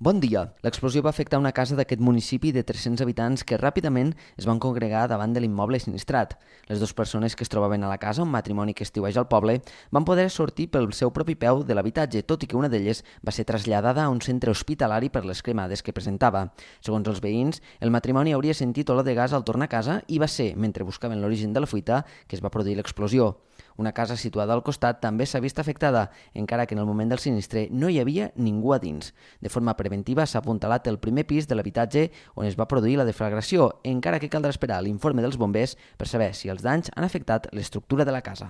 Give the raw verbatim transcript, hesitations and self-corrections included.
Bon dia. L'explosió va afectar una casa d'aquest municipi de tres-cents habitants que ràpidament es van congregar davant de l'immoble sinistrat. Les dues persones que es trobaven a la casa, un matrimoni que estiueja al poble, van poder sortir pel seu propi peu de l'habitatge, tot i que una d'elles va ser traslladada a un centre hospitalari per les cremades que presentava. Segons els veïns, el matrimoni hauria sentit olor de gas al tornar a casa i va ser, mentre buscaven l'origen de la fuita, que es va produir l'explosió. Una casa situada al costat també s'ha vist afectada, encara que en el moment del sinistre no hi havia ningú a dins. De forma preventiva s'ha apuntalat el primer pis de l'habitatge on es va produir la deflagració, encara que caldrà esperar l'informe dels bombers per saber si els danys han afectat l'estructura de la casa.